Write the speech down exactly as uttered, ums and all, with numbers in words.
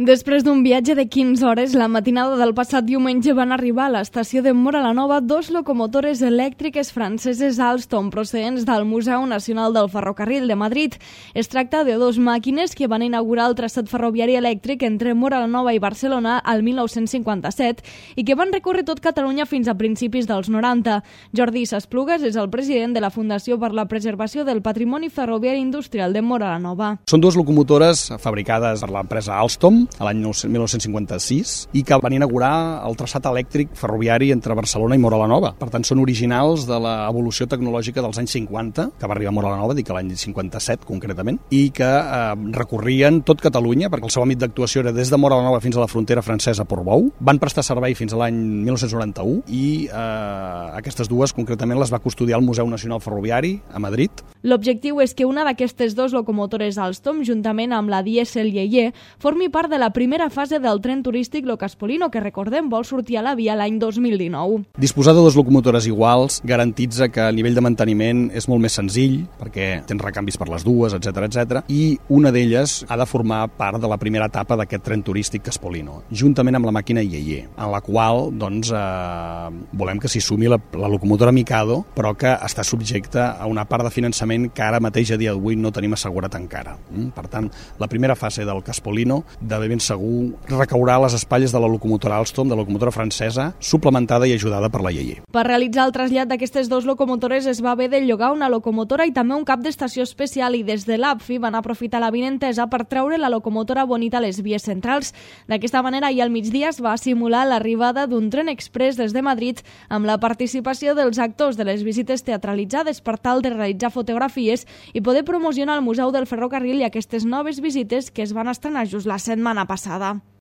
Després d'un viatge de quinze hores, la matinada del passat diumenge van arribar a l'estació de Móra la Nova dos locomotores elèctriques franceses Alstom procedents del Museu Nacional del Ferrocarril de Madrid. Es tracta de dos màquines que van inaugurar el traçat ferroviari elèctric entre Móra la Nova i Barcelona al mil nou-cents cinquanta-set i que van recórrer tot Catalunya fins a principis dels noranta. Jordi Sasplugas és el president de la Fundació per la Preservació del Patrimoni Ferroviari Industrial de Móra la Nova. Són dues locomotores fabricades per l'empresa Alstom a l'any mil nou-cents cinquanta-sis i que van inaugurar el traçat elèctric ferroviari entre Barcelona i Móra la Nova. Per tant, són originals de l'evolució tecnològica dels anys cinquanta, que va arribar a Móra la Nova, dic l'any cinquanta-set concretament, i que eh, recorrien tot Catalunya, perquè el seu àmbit d'actuació era des de Móra la Nova fins a la frontera francesa a Portbou. Van prestar servei fins a l'any mil nou-cents noranta-u i eh, aquestes dues concretament les va custodiar el Museu Nacional Ferroviari a Madrid. L'objectiu és que una d'aquestes dues locomotores Alstom, juntament amb la dièsel Yeye, formi part de la primera fase del tren turístic Lo Caspolino, que recordem vol sortir a la via l'any dos mil dinou. Disposar de dues locomotores iguals garantitza que a nivell de manteniment és molt més senzill, perquè tens recanvis per les dues, etcètera, etcètera, i una d'elles ha de formar part de la primera etapa d'aquest tren turístic Caspolino, juntament amb la màquina Yeye, en la qual doncs, eh, volem que s'hi sumi la, la locomotora Mikado, però que està subjecta a una part de finançament que ara mateix a dia d'avui no tenim assegurat encara. Per tant, la primera fase del Caspolino de ben segur recaurà a les espatlles de la locomotora Alstom, de la locomotora francesa, suplementada i ajudada per la Yeye. Per realitzar el trasllat d'aquestes dues locomotores es va haver de llogar una locomotora i també un cap d'estació especial i des de l'A P F I van aprofitar la vinentesa per treure la locomotora Bonita a les vies centrals. D'aquesta manera, ahir al migdia es va simular l'arribada d'un tren express des de Madrid amb la participació dels actors de les visites teatralitzades per tal de realitzar fotografies i poder promocionar el Museu del Ferrocarril i aquestes noves visites que es van estrenar just la setmana passada.